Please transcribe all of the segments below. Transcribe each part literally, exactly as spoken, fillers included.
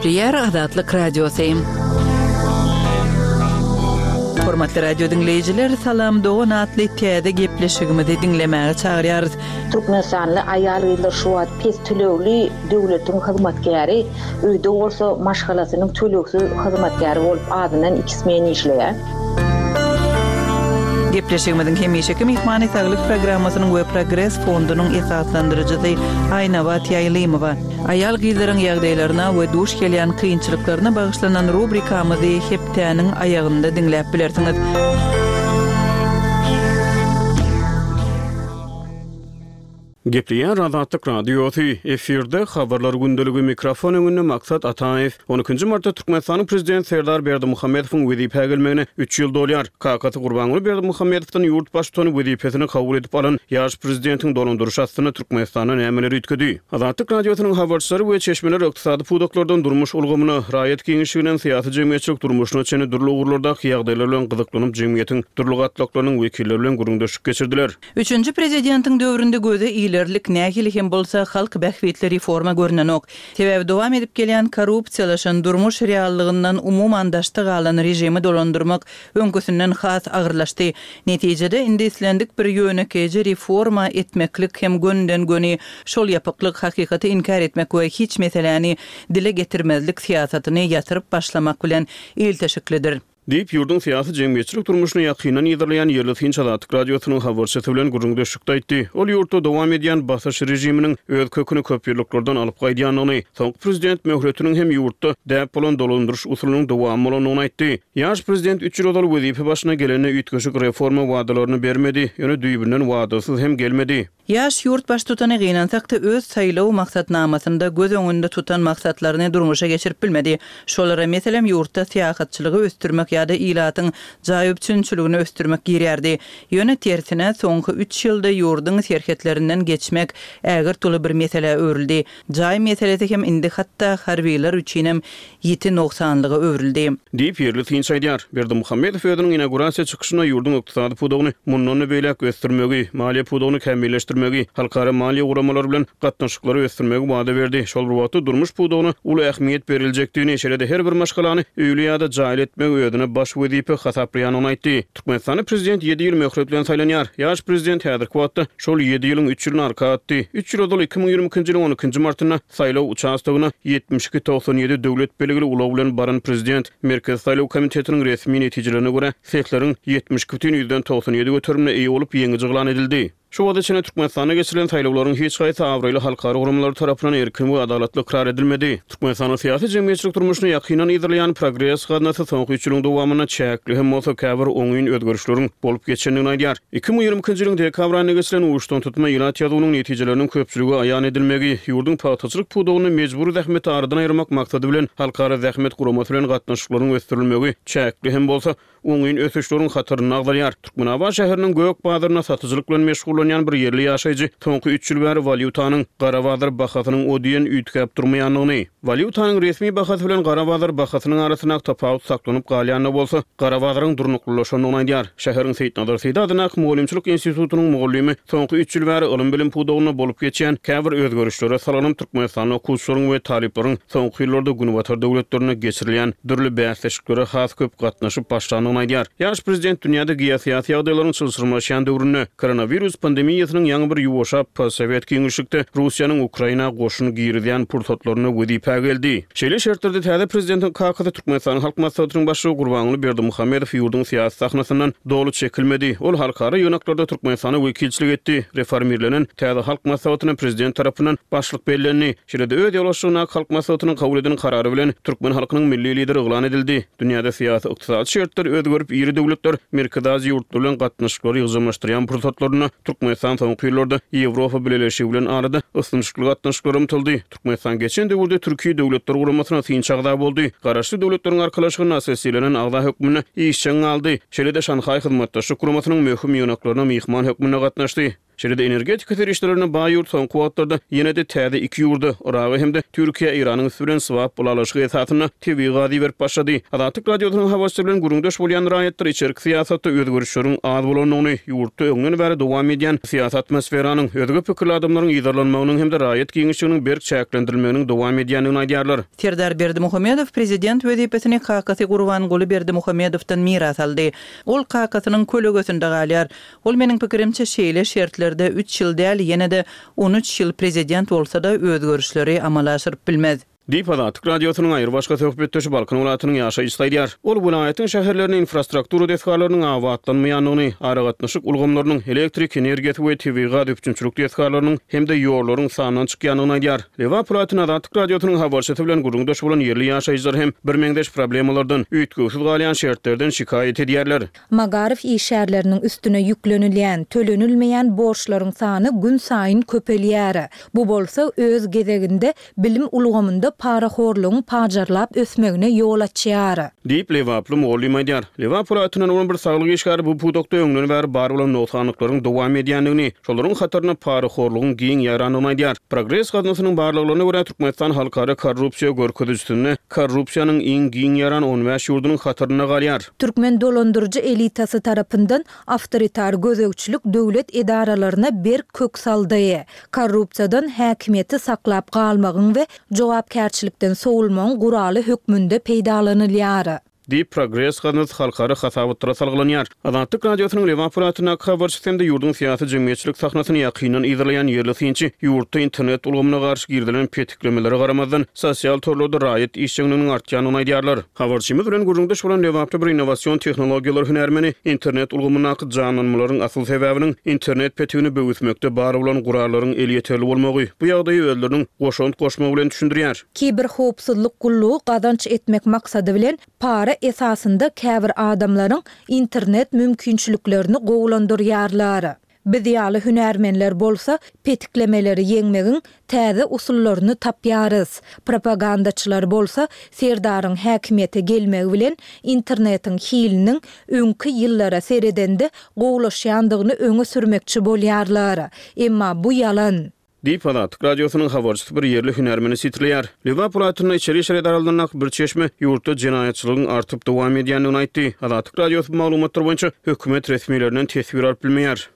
Gepleýär Azatlyk Radiosy. Hormatly radio diňleýjiler, Salam dogan atly täze gepleşigimizi diňlemäge çagyrýarys. Türkmenistanly aýal-gyzlar şu wagt pes tölegli döwletiň hyzmatkäri, öýde bolsa maşgalasynyň tölegsiz hyzmatkäri bolup azyndan iki smen işleýär. Gepleşigimiziň hemişeki myhmany saglyk programmasynyň we Progres fondunyň esaslandyryjysy Aýnabat Ýaýlymowa. Aýal-gyzlaryň ýagdaýlaryna we duş gelýän kynçylyklaryna bagyşlanan rubrikamyzy hepdäniň aýagynda diňläp bilersiňiz. Gepleýär Azatlyk Radiosy, efirde habarlar gündeligi, mikrofon öňünde Maksat Ataýew. On ikinji martda Türkmenistanyň Prezidenti Serdar Berdimuhamedowyň wezipä gelmegine üç ýyl dolýar. Kakasy Gurbanguly Berdimuhamedowdan ýurt baştutany wezipesini kabul edip alan ýaş prezidentiň dolandyryşy astynda Türkmenistanda nämeler üýtgedi? Azatlyk Radiosynyň habarçylary we çeşmeler ykdysady pudaklardan durmuş ulgamyna, raýat giňişliginden syýasy-jemgyýetçilik durmuşyna çenli dürli ugurlardaky ýagdaýlar bilen gyzyklanyp, jemgyýetiň dürli gatlaklarynyň wekilleri bilen gürrüňdeşlik geçirdiler. Üçünji prezidentiň döwründe göze ilerlik nähili hem bolsa halk bähbitli reforma görnenok. Sebäbi dowam edip gelýän korrupsiýalaşan durmuş reallygyndan umuman daşda galan režimi dolandyrmak öňküsinden has agyrlaşdy. Netijede indi islendik bir ýönekeýji reforma etmeklik hem gönden göni şol ýapyklyk hakykaty inkär etmek we hiç meseläni dile getirmezlik syýasatyny ýatyryp başlamak bilen ilteşiklidir. Diýip, ýurduň syýasy-jemgyýetçilik durmuşyny ýakyndan yzarlaýan ýerli synçy Azatlyk Radiosynyň habarçysy bilen gürrüňdeşlikde aýtdy. Ol ýurtda dowam edýän basyş režiminiň öz köküni köp ýyllyklardan alyp gaýdýandygyny, soňky prezident möhletiniň hem ýurtda däp bolan dolandyryş usulynyň dowamy bolandygyny aýtdy. Ýaş prezident üç ýyl ozal wezipe başyna gelende üýtgeşik reforma wadalaryny bermedi, ýöne düýbünden wadasyz hem gelmedi. Ýaş ýurt baştutany gynansakda öz saýlaw maksatnamasynda göz öňünde tutan maksatlaryny durmuşa geçirip bilmedi. Şolara meselem ýurtda syýahatçylygy ösdürmek ýa-da ilatyň jaý üpjünçiligini ösdürmek girýärdi. Ýöne tersine soňky üç ýylda ýurduň serhetlerinden geçmek ägirt uly bir meselä öwrüldi. Jaý meselesi hem indi hatda harbiler üçinem ýiti nogsanlyga öwrüldi. Diýip, ýerli synçy aýdýar. Berdimuhamedow özüniň inaugurasiýa çykyşynda ýurduň ykdysady pudagyny mundan-da beýläk ösdürmegi, maliýe pudagyny kämilleşdirmegi, halkara maliýe guramalary bilen gatnaşyklary ösdürmegi wada berdi. Şol bir wagtda durmuş pudagyna uly ähmiýet beriljekdigini, şeýle-de her bir maşgalany öýli ýa-da jaýly etmegi özüne baş wezipe hasaplaýandygyny aýtdy. Türkmenistanda prezident ýedi ýyl möhlet bilen saýlanýar. Ýaş prezident häzirki wagtda şol ýedi ýylyň üç ýylyny arka atdy. Üç ýyl ozal iki müň ýigrimi ikinji ýylyň on ikinji martynda saýlaw uçastogyna ýetmiş iki togsan ýedi döwlet belgili ulag bilen baran prezident Merkezi saýlaw komitetiniň resmi netijelerine görä sesleriň ýetmiş iki bütin ýüzden togsan ýedi göterimine eýe bolup ýeňiji yglan edildi. Şu wagta çenli Türkmenistanda geçirilen saýlawlaryň hiç haýsy abraýly halkara guramalary tarapyndan erkin we adalatly ykrar edilmedi. Türkmenistanyň syýasy-jemgyýetçilik durmuşyny ýakyndan yzarlaýan Progres gaznasy soňky üç ýylyň dowamynda çäkli hem bolsa käbir oňyn özgerişleriň bolup geçendigini aýdýar. Iki müň ýigrimi ikinji ýylyň dekabr aýynda geçirilen uçdan tutma ilat ýazuwynyň netijeleriniň köpçülige aýan edilmegi, ýurduň pagtaçylyk pudagynda mejbury zähmeti aradan aýyrmak maksady bilen Halkara zähmet guramasy bilen gatnaşyklaryň ösdürilmegi çäkli hem bolsa oňyn ösüşleriň hatarynda agzalýar. Türkmenabat şäheriniň gök bazarynda satyjylyk bilen meşgullanýan bir ýerli ýaşaýjy soňky üç ýyl bäri walýutanyň gara bazar bahasynyň o diýen üýtgäp durmaýandygyny, walýutanyň resmi bahasy bilen gara bazar bahasynyň arasyndaky tapawut saklanyp galýan-da bolsa, gara bazaryň durnuklylaşandygyny aýdýar. Şäheriň Seýitnazar Seýdi adyndaky mugallymçylyk institutynyň mugallymy soňky üç ýyl bäri ylym-bilim pudagynda bolup geçýän käbir özgerişlere salgylanyp, Türkmenistanda okuwçylaryň we talyplaryň soňky ýyllarda Günbatar döwletlerinde geçirilýän dürli bäsleşiklere has köp gatnaşyp başlandygyny aýdýar. Ýaş prezident dünýäde geosyýasy ýagdaýlaryň çylşyrymlaşýan döwründe koronawirus pandemiýasynyň ýaňy bir ýuwaşap postsowet giňişlikde Russiýanyň Ukraina goşun girizýän pursatlarynda wezipä geldi. Şeýle şertlerde täze prezidentiň kakasy Türkmenistanyň Halk Maslahatynyň başlygy Gurbanguly Berdimuhamedow ýurduň syýasy sahnasyndan doly çekilmedi. Ol halkara ýygnaklarda Türkmenistana wekilçilik etdi. Reformirlenen täze Halk Maslahatyna prezident tarapyndan başlyk bellendi. Şeýle-de öz ýolbaşçylygyndaky Halk Maslahatynyň kabul eden karary bilen türkmen halkynyň Milli Lideri yglan edildi. Dünýäde syýasy-ykdysady şertler özgerip, iri döwletler Merkezi Aziýa ýurtlary bilen gatnaşyklary ýygjamlaşdyrýan pursatlarynda Türkmenistan soňky ýyllarda Ýewropa Bileleşigi bilen arada ysnyşykly gatnaşyklara ymtyldy. Türkmenistan geçen döwürde Türki Döwletler Guramasyna synçy agza boldy. Garaşsyz Döwletleriň Arkalaşygyna assosirlenen agza hökmünde işjeň galdy. Şeýle-de Şanhaý Hyzmatdaşlyk Guramasynyň möhüm ýygnaklaryna myhman hökmünde gatnaşdy. Şeýle-de energetika serişdelerine baý ýurt soňky wagtlarda ýene-de täze iki ýurda, Yraga hem-de Türkiýä Eýranyň üsti bilen swap ylalaşygy esasynda tebigy gaz iberip başlady. Azatlyk Radiosynyň habarçysy bilen gürrüňdeş bolýan raýatlar içerki syýasatda özgerişleriň az bolandygyny, ýurtda öňden bäri dowam edýän syýasy atmosferanyň, özge pikirli adamlaryň yzarlanmagynyň hem-de raýat giňişliginiň berk çäklendirilmeginiň dowam edýändigini aýdýarlar. Serdar Berdimuhamedow prezident wezipesini kakasy Gurbanguly Berdimuhamedowdan miras aldy. Ol kakasynyň kölegesinde galýar. Ol meniň pikirimçe şeýle şertlerde üç ýyl däl, ýene-de on üç ýyl prezident bolsa-da özgerişleri amala aşyryp bilmez. Diýip, Azatlyk Radiosynyň aýrybaşga söhbetdeşi Balkan welaýatynyň ýaşaýjysy aýdýar. Ol welaýatyň şäherlerinde infrastruktura desgalarynyň abatlanmaýandygyny, aragatnaşyk ulgamlarynyň, elektrik energiýasy we tebigy gaz üpjünçilik desgalarynyň hem-de ýollaryň sandan çykýandygyny aýdýar. Lebap welaýatynda Azatlyk Radiosynyň habarçysy bilen gürrüňdeş bolan ýerli ýaşaýjylar hem birmeňzeş problemalardan, üýtgewsiz galýan şertlerden şikaýat edýärler. Magaryf işgärleriniň üstüne ýüklenilýän, tölenilmeýän borçlaryň sany günsaýyn köpelýär. Bu bolsa öz gezeginde bilim ulgamynda parahorlugyň pajarlap ösmegine ýol açýar. Diýip, lebaply mugallym aýdýar. Lebap welaýatyndan bolan bir saglyk işgäri bu pudakda öňden bäri bar bolan nogsanlyklaryň dowam edýändigini, şolaryň hatarynda parahorlugyň giň ýaýrandygyny aýdýar. Progres gaznasynyň barlaglaryna görä, Türkmenistan halkara korrupsiýa görkezijisinde korrupsiýanyň iň giň ýaýran on bäş ýurdunyň hatarynda galýar. Türkmen dolandyryjy elitasy tarapyndan awtoritar gözegçilik döwlet edaralaryna berk kök saldy. Korrupsiýadan häkimiýeti saklap galmagyň we jogapkärçilikden sowulmagyň guraly hökmünde peýdalanylýar. Diýip, Progres gaznasy halkara hasabatlara salgylanýar. Azatlyk Radiosynyň Lebap welaýatyndaky habarçysy hem-de ýurduň syýasy-jemgyýetçilik sahnasyny ýakyndan yzarlaýan ýerli synçy ýurtda internet ulgamyna garşy girizilen petiklemelere garamazdan, sosial torlarda raýat işjeňliginiň artýandygyny aýdýarlar. Habarçymyz bilen gürrüňdeş bolan lebaply bir innowasion tehnologiýalar hünärmeni internet ulgamyndaky janlanmalaryň asyl sebäbiniň internet petigini böwüsmekde bar bolan gurallaryň elýeterli bolmagy, bu ýagdaýy özleriniň goşant goşmagy bilen düşündirýär. Kiberhowpsuzlyk gullugy gazanç etmek maksady bilen para esasynda käbir adamlaryň internet mümkinçiliklerini gowulandyrýarlar. Biz ýaly hünärmenler bolsa petiklemeleri ýeňmegiň täze usullaryny tapýarys. Propagandaçylar bolsa Serdaryň häkimiýete gelmegi bilen internetiň hiliniň öňki ýyllara seredende gowulaşýandygyny öňe sürmekçi bolýarlar. Emma bu ýalan. Diýip, Azatlyk Radiosynyň habarçysy bir ýerli hünärmeni sitirleýär. Lebap welaýatynda içeri işler edaralaryndaky bir çeşme ýurtda jenaýatçylygyň artyp dowam edýändigini aýtdy. Azatlyk Radiosy bu maglumatlar boýunça hökümet resmilerinden teswir alyp bilmeýär.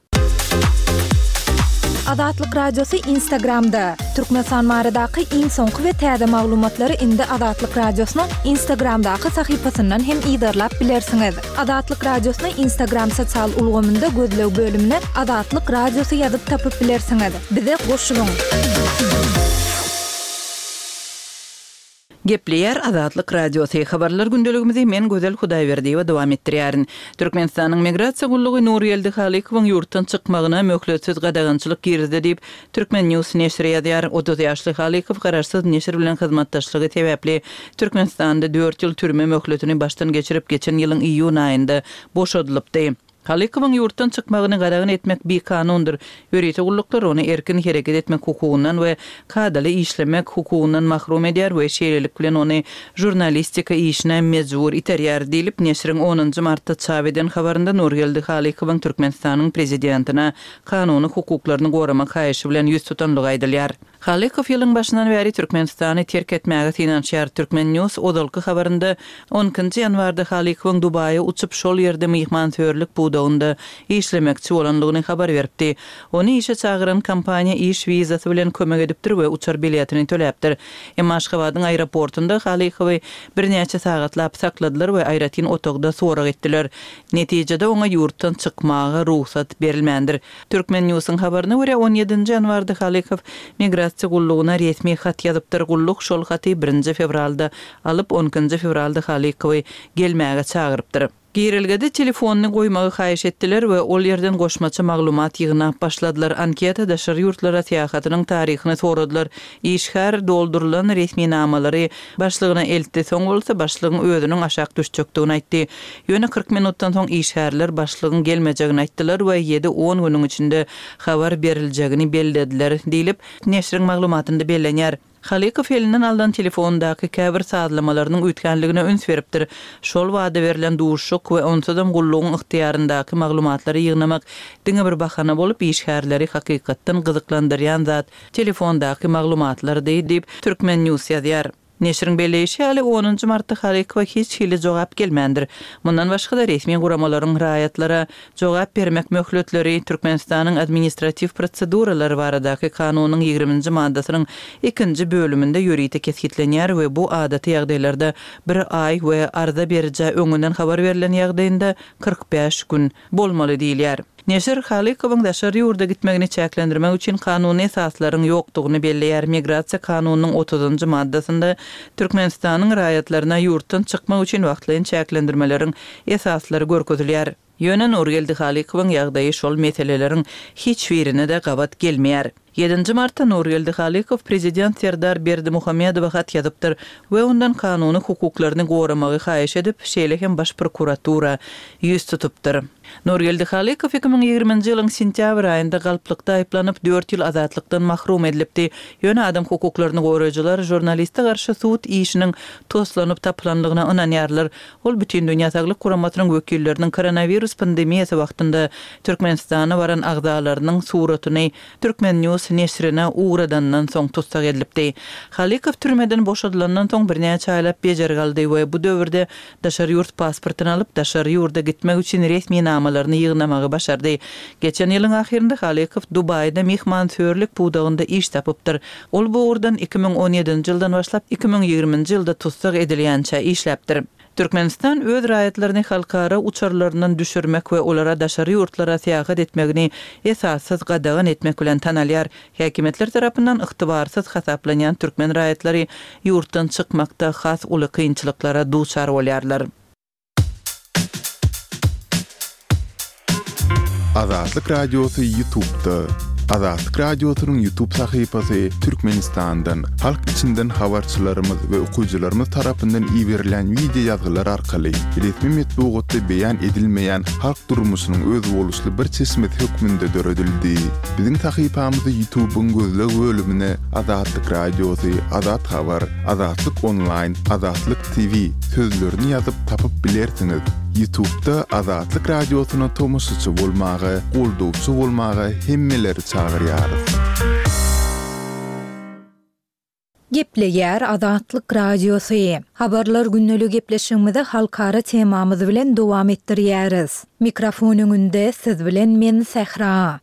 Azatlyk Radiosy Instagramda. Türkmenistan baradaky iň soňky we täze maglumatlary indi Azatlyk Radiosynyň Instagramdaky sahypasyndan hem yzarlap bilersiňiz. Azatlyk Radiosyny Instagram sosial ulgamynda gözleg bölümine Azatlyk Radiosy ýazyp tapyp bilersiňiz. Bize goşulyň. Gepleýär Azatlyk Radiosy. Habarlar gündeligimizi men Gözel Hudaýberdiýewa dowam etdirýärin. Türkmenistanyň Migrasiýa gullugy Nurgeldi Halykowyň ýurtdan çykmagyna möhletsiz gadagançylyk girizdi diýip, Türkmen News neşiri ýazýar. Otuz ýaşly Halykow garaşsyz neşir bilen hyzmatdaşlygy sebäpli Türkmenistanda dört ýyl türme möhletini başdan geçirip, geçen ýylyň iýun aýynda boşadylypdy. Halykowyň ýurtdan çykmagyny gadagan etmek bikanundyr. Ýörite gulluklar ony erkin hereket etmek hukugyndan we kadaly işlemek hukugyndan mahrum edýär we şeýlelik bilen ony žurnalistika işine mejbur iterýär diýlip, neşiriň onunjy martda çap eden habarynda Nurgeldi Halykowyň Türkmenistanyň Prezidentine kanuny hukuklaryny goramak haýyşy bilen ýüz tutanlygy aýdylýar. Halykow ýylyň başyndan bäri Türkmenistany terk etmäge synanyşýar. Turkmen News ozalky habarynda on ikinji ýanwarda Halykowyň Dubaýa uçup, şol ýerde myhmansöýerlik pudagynda işlemekçi bolandygyny habar beripdi. Ony işe çagyran kompaniýa iş wizasy bilen kömek edipdir we uçar biletini töläpdir. Emma Aşgabadyň aeroportunda Halykowy birnäçe sagatlap sakladylar we aýratyn otagda sorag etdiler. Netijede oňa ýurtdan çykmaga rugsat berilmändir. Turkmen News'yň habaryna görä on ýedinji ýanwarda Halykow migrasiýa gullugyna resmi hat ýazypdyr. Gulluk şol haty birinji fewralda alyp, on ikinji fewralda Halykowy gelmäge çagyrypdyr. Girelgede telefonyny goýmagy haýyş etdiler we ol ýerden goşmaça maglumat ýygnap başladylar. Anketa daşary ýurtlara syýahatynyň taryhyny soradylar. Işgär doldurylan resminamalary başlygyna eltdi, soň bolsa başlygyň özüniň aşak düşjekdigini aýtdy. Ýöne kyrk minutdan soň işgärler başlygyň gelmejegini aýtdylar we ýedi-on günüň içinde habar beriljegini bellediler diýlip, neşiriň maglumatynda bellenýär. Halykow elinden alnan telefondaky käbir sazlamalarynyň üýtgänligine üns beripdir. Şol wada berlen duşuşyk we onsuzam gullugyň ygtyýaryndaky maglumatlary ýygnamak diňe bir bahana bolup, işgärleri hakykatdan gyzyklandyrýan zat telefondaky maglumatlardy diýip, Turkmen. News ýazýar. Neşiriň belleýşi ýaly, onunjy martda Halykowa hiç hili jogap gelmändir. Mundan başga-da resmi guramalaryň raýatlara jogap bermek möhletleri Türkmenistanyň administratiw proseduralary baradaky kanunyň ýigriminji maddasynyň ikinji bölüminde ýörite kesgitlenýär we bu adaty ýagdaýlarda bir aý we arza berijä öňünden habar berlen ýagdaýynda kyrk bäş gün bolmaly diýilýär. Neşir Halykowyň daşary ýurda gitmegini çäklendirmek üçin kanuny esaslaryň ýokdugyny belleýär. Migrasiýa kanunynyň otuzynjy maddasynda Türkmenistanyň raýatlaryna ýurtdan çykmak üçin wagtlaýyn çäklendirmeleriň esaslary görkezilýär. Ýöne Nurgeldi Halykowyň ýagdaýy şol meseleleriň hiç birine-de gabat gelmeýär. Ýedinji martda Nurgeldi Halykow prezident Serdar Berdimuhamedowa hat ýazypdyr we ondan kanuny hukuklaryny goramagy haýyş edip, şeýle hem baş prokuratura ýüz tutupdyr. Nurgeldi Halykow iki müň ýigriminji ýylyň sentýabr aýynda galplykda aýyplanyp, dört ýyl azatlykdan mahrum edilipdi. Ýöne adam hukuklaryny goraýjylar žurnaliste garşy sud işiniň toslanyp tapylanlygyna ynanýarlar. Ol Bütindünýä Saglyk Guramasynyň wekilleriniň koronawirus pandemiýasy wagtynda Türkmenistana baran agzalarynyň suratyny Turkmen. News neşirine ugradandan soň tussag edilipdi. Halykow türmeden boşadylandan soň birnäçe aýlap bejergi aldy we bu döwürde daşary ýurt pasportyny alyp, daşary ýurda gitmek üçin resminamalaryny ýygnamagy başardy. Geçen ýylyň ahyrynda Halykow Dubaýda myhmansöýerlik pudagynda iş tapypdyr. Ol bu ugurdan iki müň on ýedinji ýyldan başlap iki müň ýigriminji ýylda tussag edilýänçä işläpdir. Türkmenistan öz raýatlaryny halkara uçarlaryndan düşürmek we olara daşary ýurtlara syýahat etmegini esassyz gadagan etmek bilen tanalýar. Häkimiýetler tarapyndan ygtybarsyz hasaplanýan türkmen raýatlary ýurtdan çykmakda has uly kynçylyklara duçar bolýarlar. Azatlyk Radiosy YouTube'da. Azatlyk Radiosynyň YouTube sahypasy Türkmenistandan, halk içinden habarçylarymyz we okyjylarymyz tarapyndan iberilen video ýazgylar arkaly resmi metbugatda beýan edilmeýän halk durmuşynyň özboluşly bir çeşmesi hökmünde döredildi. Biziň sahypamyzy YouTube'yň gözleg bölümine Azatlyk Radiosy, Azat Habar, Azatlyk Online, Azatlyk T V sözlerini ýazyp tapyp bilersiňiz. YouTube'da Azatlyk Radiosyna tomaşaçy bolmaga, goldawçy bolmaga hemmeleri çagyrýarys. Gepleýär Azatlyk Radiosy. Habarlar gündelik gepleşigimizi halkara temamyz bilen dowam etdirýäris. Mikrofon öňünde siz bilen men Sähra.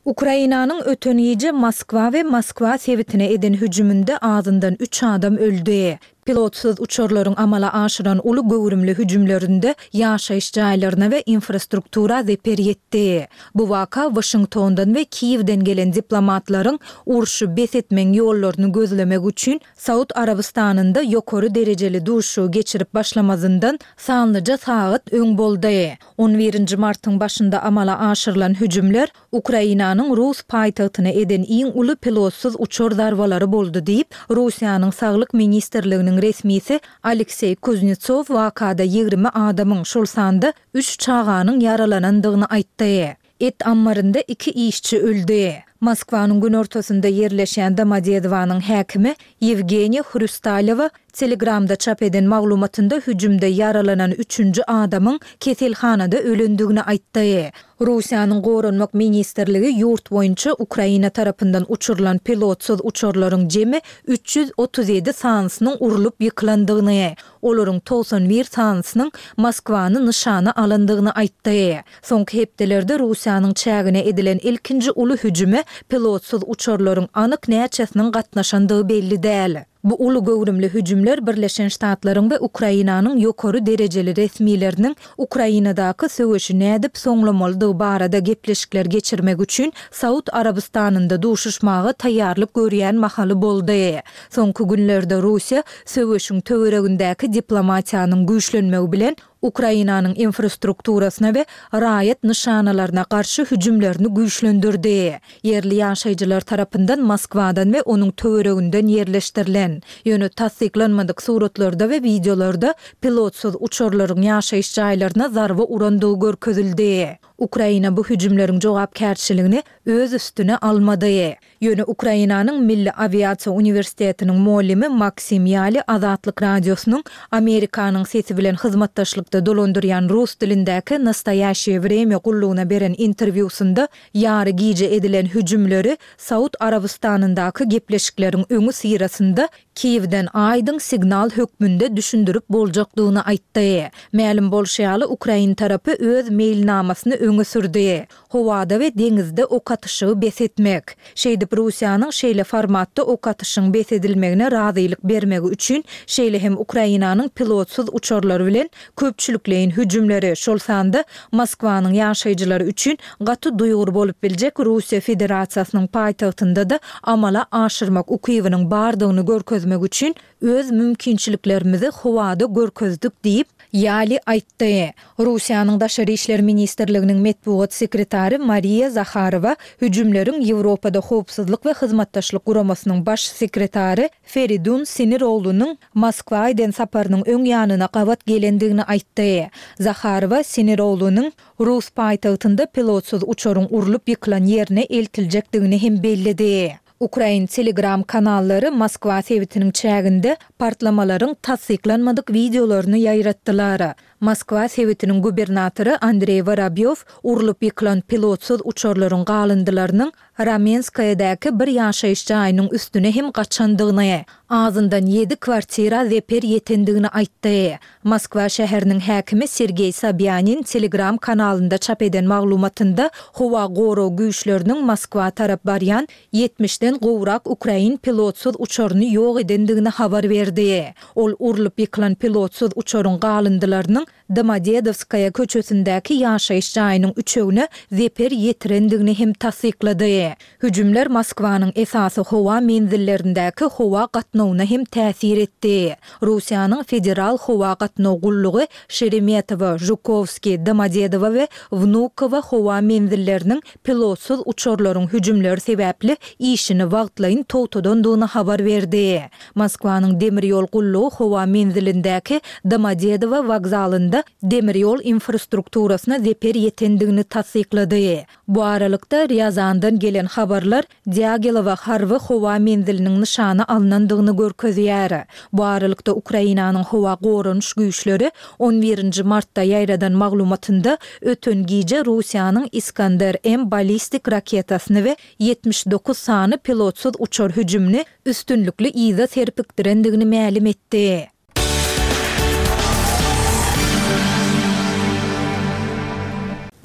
Ukrainanyň öten gije Moskwa we Moskwa sebitine eden hüjüminde azyndan üç adam öldi. Pilotsyz uçarlaryň amala aşyran uly göwrümli hüjümlerinde ýaşaýyş jaýlaryna we infrastruktura zeper ýetdi. Bu waka Washingtondan we Kiýewden gelen diplomatlaryň urşy bes etmegiň ýollaryny gözlemek üçin Saud Arabystanynda ýokary derejeli duşuşygy geçirip başlamazyndan sanlyja sagat öň boldy. On birinji martyň başynda amala aşyrylan hüjümler Ukrainanyň Rus paýtagtyna eden iň uly pilotsyz uçar zarbalary boldy diýip, Russiýanyň Saglyk ministrliginiň resmisi Alekseý Kuznetsov wakada ýigrimi adamyň, şol sanda üç çaganyň ýaralanandygyny aýtdy. Et ammarynda iki işçi öldi. Moskwanyň günortasynda ýerleşen Domodedowanyň häkimi Ýewgeniý Hrustalewa Telegramda çap eden maglumatynda hüjümde ýaralanan üçünji adamyň keselhanada ölendigini aýtdy. Russiýanyň Goranmak ministrligi ýurt boýunça Ukraina tarapyndan uçurylan pilotsyz uçarlaryň jemi üç ýüz otuz ýedi sanysynyň urulyp ýykylandygyny, olaryň togsan bir sanysynyň Moskwany nyşana alandygyny aýtdy. Soňky hepdelerde Russiýanyň çägine edilen ilkinji uly hüjüme pilotsyz uçarlaryň anyk näçesiniň gatnaşandygy belli däl. Bu uly göwrümli hüjümler Birleşen Ştatlaryň we Ukrainanyň ýokary derejeli resmileriniň Ukrainadaky söweşi nädip soňlamalydygy barada gepleşikler geçirmek üçin Saud Arabystanynda duşuşmaga taýýarlyk görýän mahaly boldy. Soňky günlerde Russiýa söweşiň töweregindäki diplomatiýanyň güýçlenmegi bilen Ukrainanyň infrastrukturasyna we raýat nyşanalaryna garşy hüjümlerini güýçlendirdi. Ýerli ýaşaýjylar tarapyndan Moskwadan we onuň töwereginden ýerleşdirilen, ýöne tassyklanmadyk suratlarda we wideolarda pilotsyz uçarlaryň ýaşaýyş jaýlaryna zarba urandygy görkezildi. Ukraina bu hüjümleriň jogapkärçiligini öz üstüne almady. Ýöne Ukrainanyň Milli awiasiýa uniwersitetiniň mugallymy Maksim Ýali Azatlyk Radiosynyň Amerikanyň Sesi bilen hyzmatdaşlykda dolandyrýan rus dilindäki Nastoýaşeýe Wremýa gullugyna beren interwýusynda ýary gije edilen hüjümleri Saud Arabystanyndaky gepleşikleriň öňüsyrasynda Kiýewden aýdyň signal hökmünde düşündirip boljakdygyny aýtdy. Mälim bolşy ýaly, ukrain tarapy öz meýilnamasyny öňe sürdi, howada we deňizde ok atyşygy bes etmek. Şeýdip, Russiýanyň şeýle formatda ok atyşyň bes edilmegine razylyk bermegi üçin, şeýle hem Ukrainanyň pilotsyz uçarlary bilen köpçülikleýin hüjümleri, şol sanda Moskwanyň ýaşaýjylary üçin gaty duýgur bolup biljek Russiýa Federasiýasynyň paýtagtynda-da amala aşyrmak ukybynyň bardygyny görkezmek üçin öz mümkinçiliklerimizi howada görkezdik diýip, Ýali aýtdy. Russiýanyň Daşary işler ministrliginiň metbugat sekretary Mariýa Zaharowa hüjümleriň Ýewropada Howpsuzlyk we Hyzmatdaşlyk Guramasynyň baş sekretary Feridun Siniroglunyň Moskwa eden saparynyň öň ýanyna gabat gelendigini aýtdy. Zaharowa Siniroglunyň rus paýtagtynda pilotsyz uçaryň urlup ýykylan ýerine eltiljekdigini hem belledi. Ukrain Telegram kanallary Moskwa sebitiniň çäginde partlamalaryň tassyklanmadyk wideolaryny ýaýratdylar. Moskwa sebitiniň gubernatory Andreý Worobýow urlup ýykylan pilotsyz uçarlaryň galyndylarynyň Ramenskoýedäki bir ýaşaýyş jaýynyň üstüne hem gaçandygyny, azyndan ýedi kwartira zeper ýetendigini aýtdy. Moskwa şäheriniň häkimi Sergeý Sobýanin Telegram kanalynda çap eden maglumatynda howa gorag güýçleriniň Moskwa tarap barýan ýetmişden gowrak ukrain pilotsyz uçaryny ýok edendigini habar berdi. Ol urlup ýykylan pilotsyz uçaryň galyndylarynyň Domodedowskaýa köçesindäki ýaşaýyş jaýynyň üçegine zeper ýetirendigini hem tassyklady. Hüjümler Moskwanyň esasy howa menzillerindäki howa gatnawyna hem täsir etdi. Russiýanyň Federal howa gatnaw gullugy Şeremetewo, Žukowskiý, Domodedowo we Wnukowo howa menzilleriniň pilotsyz uçarlaryň hüjümleri sebäpli işini wagtlaýyn togtadandygyny habar berdi. Moskwanyň demir ýol gullugy howa menzilindäki Domodedowo wokzalynda demir ýol infrastrukturasyna zeper ýetendigini tassyklady. Bu aralykda, Rýazandan gelen habarlar Dýagilewo harby howa menziliniň nyşana alnandygyny görkezýär. Bu aralykda, Ukrainanyň howa goranyş güýçleri on birinji martda ýaýradan maglumatynda öten gije Russiýanyň Iskander-M ballistik raketasyny we ýetmiş dokuz sany pilotsyz uçar hüjümini üstünlikli yza serpikdirendigini mälim etdi.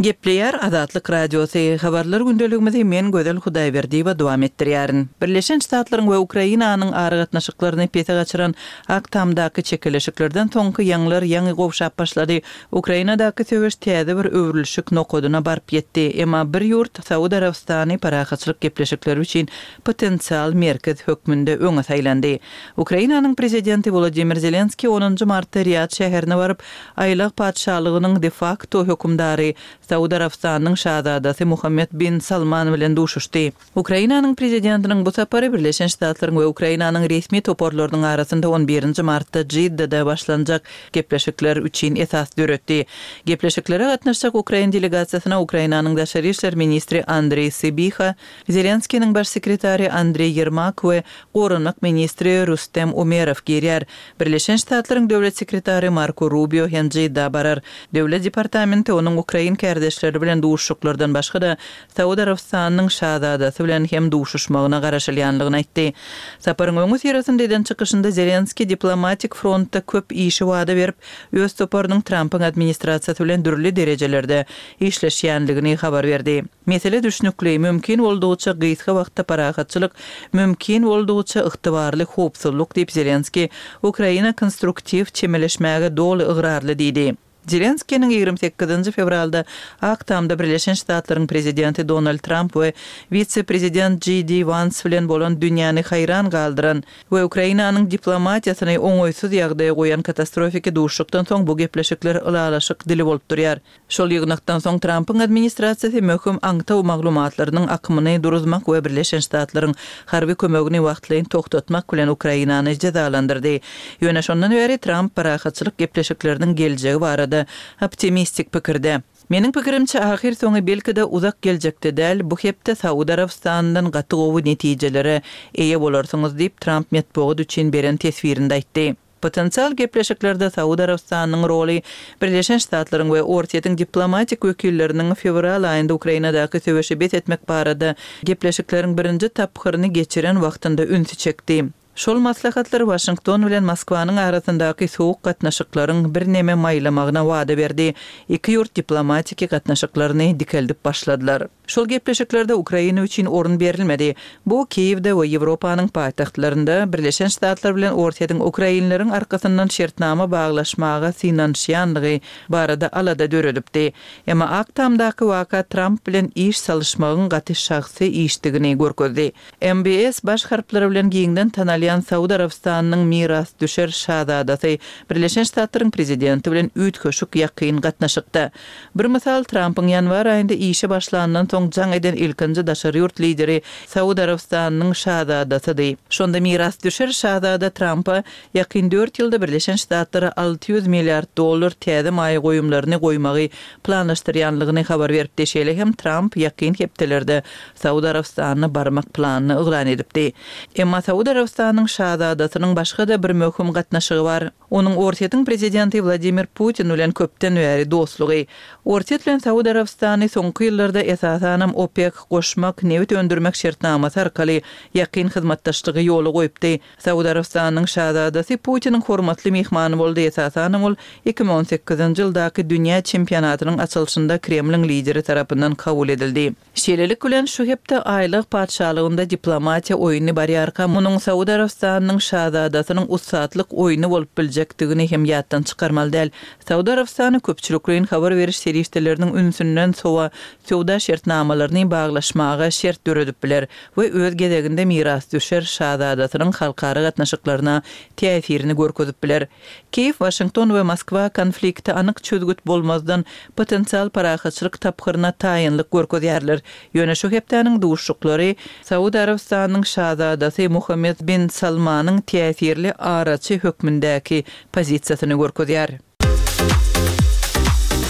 Gepleýär Azatlyk Radiosy, Habarlar gündeligimizi men Gözel Hudaýberdiýewa dowam etdirýärin. Birleşen Ştatlaryň we Ukrainanyň aragatnaşyklaryny pese gaçyran Ak Tamdaky çekeleşiklerden soňky ýaňlar ýaňy gowşap başlady. Ukrainadaky söweş täze bir öwrülişik nokadyna baryp ýetdi. Emma bir ýurt, Saud Arabystany parahatçylyk gepleşikleri üçin potensial merkez hökmünde öňe saýlandy. Ukrainanyň prezidenti Wolodymyr Zelenskiý onunjy martda Riýad şäherine baryp, Aýlag patyşalygynyň de-fakto hökümdary, Saud Arabystanynyň şazadasy Muhammed bin Salman bilen duşuşdy. Ukrainanyň prezidentiniň bu sapary Birleşen Ştatlaryň we Ukrainanyň resmi toparlarynyň arasynda on birinji martda Jiddada başlanjak gepleşikler üçin esas döretdi. Gepleşiklere gatnaşjak ukrain delegasiýasyna Ukrainanyň daşary işler ministri Andreý Sybiha, Zelenskiniň baş sekretary Andreý Ýermak we goranmak ministri Rustem Umerow girýär. Birleşen Ştatlaryň döwlet sekretary Marko Rubio hem Jidda barar. Döwlet departamenti onuň ukrain kärdeşleri bilen duşuşyklardan başga-da, Saud Arabystanynyň şazadasy bilen hem duşuşmagyna garaşylýandygyny aýtdy. Saparyň öňüsyrasynda eden çykyşynda Zelenskiý diplomatik frontda köp işi wada berip, öz toparynyň Trampyň administrasiýasy bilen dürli derejelerde işleşýändigini habar berdi. Mesele düşnükli, mümkin boldugyça gysga wagtda parahatçylyk, mümkin boldugyça ygtybarly howpsuzlyk diýip, Zelenskiý Ukraina konstruktiw çemeleşmäge doly ygrarly diýdi. Zelenskiniň ýigrimi sekizinji fewralda Ak Tamda Birleşen Ştatlaryň prezidenti Donald Tramp we wise-prezident J D Wans bilen bolan dünýäni haýran galdyran we Ukrainanyň diplomatiýasyny oňaýsyz ýagdaýa goýan katastrofiki duşuşykdan soň bu gepleşikler ylalaşyk dili bolup durýar. Şol ýygnakdan soň Trampyň administrasiýasy möhüm aňtaw maglumatlarynyň akymyny duruzmak we Birleşen Ştatlaryň harby kömegini wagtlaýyn togtatmak bilen Ukrainany jezalandyrdy. Ýöne şondan bäri Tramp parahatçylyk gepleşikleriniň geljegi barada optimistik pikirde. Meniň pikirimçe, ahyrsoňy, belki-de, uzak geljekde däl, bu hepde Saud Arabystanyndan gaty gowy netijelere eýe bolarsyňyz diýip, Tramp metbugat üçin beren teswirinde aýtdy. Potensial gepleşiklerde Saud Arabystanynyň roly Birleşen Ştatlaryň we Orsýetiň diplomatik wekilleriniň fewral aýynda Ukrainadaky söweşi bes etmek barada gepleşikleriň birinji tapgyryny geçiren wagtynda ünsi çekdi. Şol maslahatlar Waşington bilen Moskwanyň arasyndaky sowuk gatnaşyklaryň birneme maýlamagyna wada berdi. Iki ýurt diplomatiki gatnaşyklaryny dikeldip başladylar. Şol gepleşiklerde Ukraina üçin orun berilmedi. Bu Kiýewde we Ýewropanyň paýtagtlarynda Birleşen Ştatlar bilen Orsýetiň ukrainleriň arkasyndan şertnama baglaşmaga synanyşýanlygy barada alada döredipdi. Emma Ak Tamdaky waka Tramp bilen iş salyşmagyň gaty şahsy işdigini görkezdi. M B S baş harplary bilen giňden tanalýan Saud Arabystanynyň mirasdüşer şazadasy Birleşen Ştatlaryň prezidenti bilen üýtgeşik ýakyn gatnaşykda. Bir mysal, Trampyň ýanwar aýynda işe başlandan soň jaň eden ilkinji daşary ýurt lideri Saud Arabystanynyň şazadasydy. Şonda mirasdüşer şazada Trampa ýakyn dört ýylda Birleşen Ştatlara alty ýüz milliard dollar täze maýa goýumlaryny goýmagy planlaşdyrýanlygyny habar beripdi. Şeýle hem Tramp ýakyn hepdelerde Saud Arabystanyna barmak planyny yglan edipdi. Emma Saud Arabystanynyň şazadasynyň başga-da bir möhüm gatnaşygy bar. Onuň Orsýetiň prezidenti Wladimir Putin bilen köpden bäri dostlugy. Orsýet bilen Saud Arabystany soňky ýyllarda esasanam OPEK goşmak, nebit öndürmek şertnamasy arkaly ýakyn hyzmatdaşlygy ýola goýupdy. Saud Arabystanynyň şazadasy Putiniň hormatly myhmany boldy, esasanam ol iki müň on sekizinji ýyldaky dünýä çempionatynyň açylyşynda Kremliň lideri tarapyndan kabul edildi. Şeýlelik bilen, şu hepde Aýlag patyşalygynda diplomatiýa oýny barýarka, munuň Saud Arabystanynyň şazadasynyň ussatlyk oýny bolup biljekdigini hem ýatdan çykarmaly däl. Saud Arabystany köpçülikleýin habar beriş serişdeleriniň ünsünden sowa söwda şertnamalaryny baglaşmaga şert döredip biler we öz gezeginde mirasdüşer şazadasynyň halkara gatnaşyklaryna täsirini görkezip biler. Kiýew, Waşington we Moskwa konflikte anyk çözgüt bolmazdan potensial parahatçylyk tapgyryna taýynlyk görkezýärler. Ýöne şu hepdäniň duşuşyklary Saud Arabystanynyň şazadasy Muhammed bin Salmanyň täsirli araçy hökmündäki pozisiýasyny görkezýär.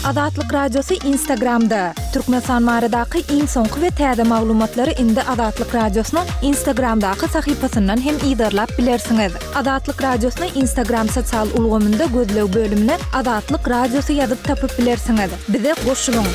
Azatlyk Radiosy Instagramda. Türkmenistan baradaky iň soňky we täze maglumatlary indi Azatlyk Radiosynyň Instagramdaky sahypasyndan hem yzarlap bilersiňiz. Azatlyk Radiosyny Instagram sosial ulgamynda gözleg bölümine Azatlyk Radiosy ýazyp tapyp bilersiňiz. Bize goşulyň.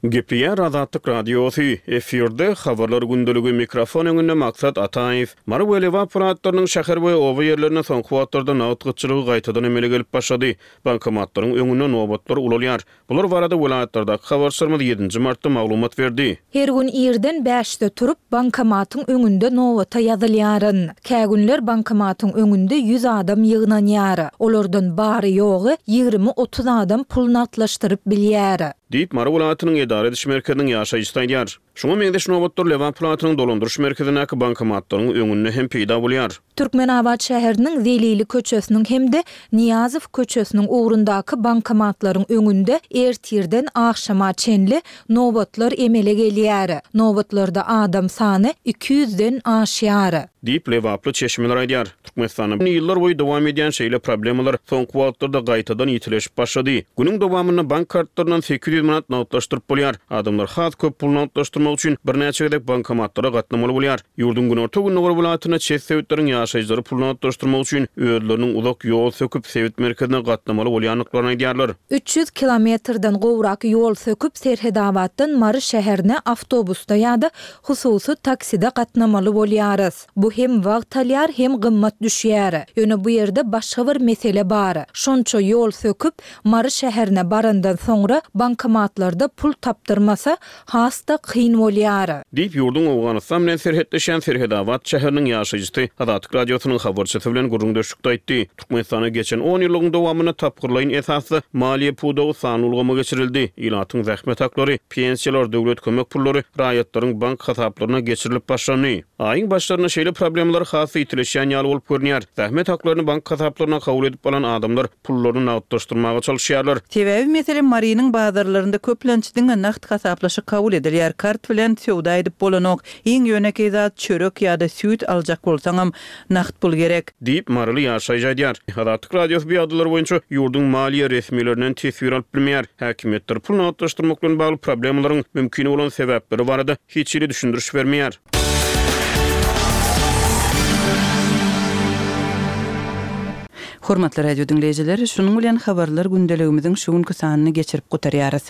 Gepleýär Azatlyk Radiosy, efirde Habarlar gündeligi, mikrofon öňünde Maksat Ataýew. Mary we Lebap welaýatlarynyň şäher we oba ýerlerinde soňky wagtlarda nagt gytçylygy gaýtadan emele gelip başlady. Bankomatlaryň öňünde nobatlar ulalýar. Bular barada welaýatlardaky habarçylarymyz ýedinji martda maglumat berdi. Her gün irden bäşde turup, bankomatyň öňünde nobata ýazylýaryn. Kä günler bankomatyň öňünde ýüz adam ýygnanýar. Olardan bary-ýogy ýigrimi-otuz adam pul nagtlaşdyryp bilýär. Diýip, Mary welaýatynyň edara ediş merkeziniň ýaşaýjysy aýdýar. Şuňa meňzeş nobatlar Lebap welaýatynyň dolandyryş merkezindäki bankomatlaryň öňünde hem peýda bolýar. Türkmenabat şäheriniň Zelili köçesiniň hem-de Nyýazow köçesiniň ugrundaky bankomatlaryň öňünde ertirden agşama çenli nobatlar emele gelýär. Nobatlarda adam sany iki ýüzden aşýar. Diýip, lebaply çeşmeler aýdýar. Türkmenistanda ýyllar boýy dowam edýän şeýle problemalar soňky wagtlarda gaýtadan ýitileşip başlady. Günüň dowamynda bank kartlaryndan sekiz ýüz manat nagtlaşdyryp bolýar. Adamlar has köp pul nagtlaşdyrmak üçin birnäçe gezek bankomatlara gatnamaly bolýar. Ýurduň günorta-gündogar welaýatynda çet sebitleriň ýaşaýjylary pul nagtlaşdyrmak üçin özleriniň uzak ýol söküp sebit merkezine gatnamaly bolýandyklaryny aýdýarlar. Üç ýüz kilometrden gowrak ýol söküp Serhedabatdan Mary şäherine awtobusda ýa-da hususy takside gatnamaly bolýarys. Bu hem wagt alýar, hem gymmat düşýär. Ýöne bu ýerde başga bir mesele bar. Şonça ýol söküp Mary şäherine barandan soňra bankomatlarda pul tapdyrmasa has-da kyn bolýar. Diýip, ýurduň Owganystan bilen serhetleşýän Serhedabat şäheriniň ýaşaýjysy Azatlyk Radiosynyň habarçysy bilen gürrüňdeşlikde aýtdy. Türkmenistana geçen on ýyllygyň dowamynda tapgyrlaýyn esasda maliýe pudagy sanly ulgama geçirildi. Ilatyň zähmet haklary, pensiýalar, döwlet kömek pullary raýatlaryň bank hasaplaryna geçirilip başlandy. Aýyň başlarynda şeýle problemalar has ýitileşýän ýaly bolup görünýär. Zähmet haklaryny bank hasaplaryna kabul edip alan adamlar pullaryny nagtlaşdyrmaga çalyşýarlar. Sebäbi, meselem, Marynyň bazarlarynda köplenç diňe nagt hasaplaşyk kabul edilýär, kart bilen söwda edip bolanok, iň ýönekeý zat, çörek ýa-da süýt aljak bolsaňam, nagt pul gerek. Diýip, maryly ýaşaýjy aýdýar. Azatlyk Radiosy bu ýagdaýlar boýunça ýurduň maliýe resmilerinden teswir alyp bilmeýär. Häkimiýetler pul nagtlaşdyrmak bilen bagly problemalaryň mümkin bolan sebäpleri barada hiç hili düşündiriş bermeýär. Hormatly radio diňleýjiler, şunuň bilen habarlar gündeligimiziň şu günki sanyny geçirip gutarýarys.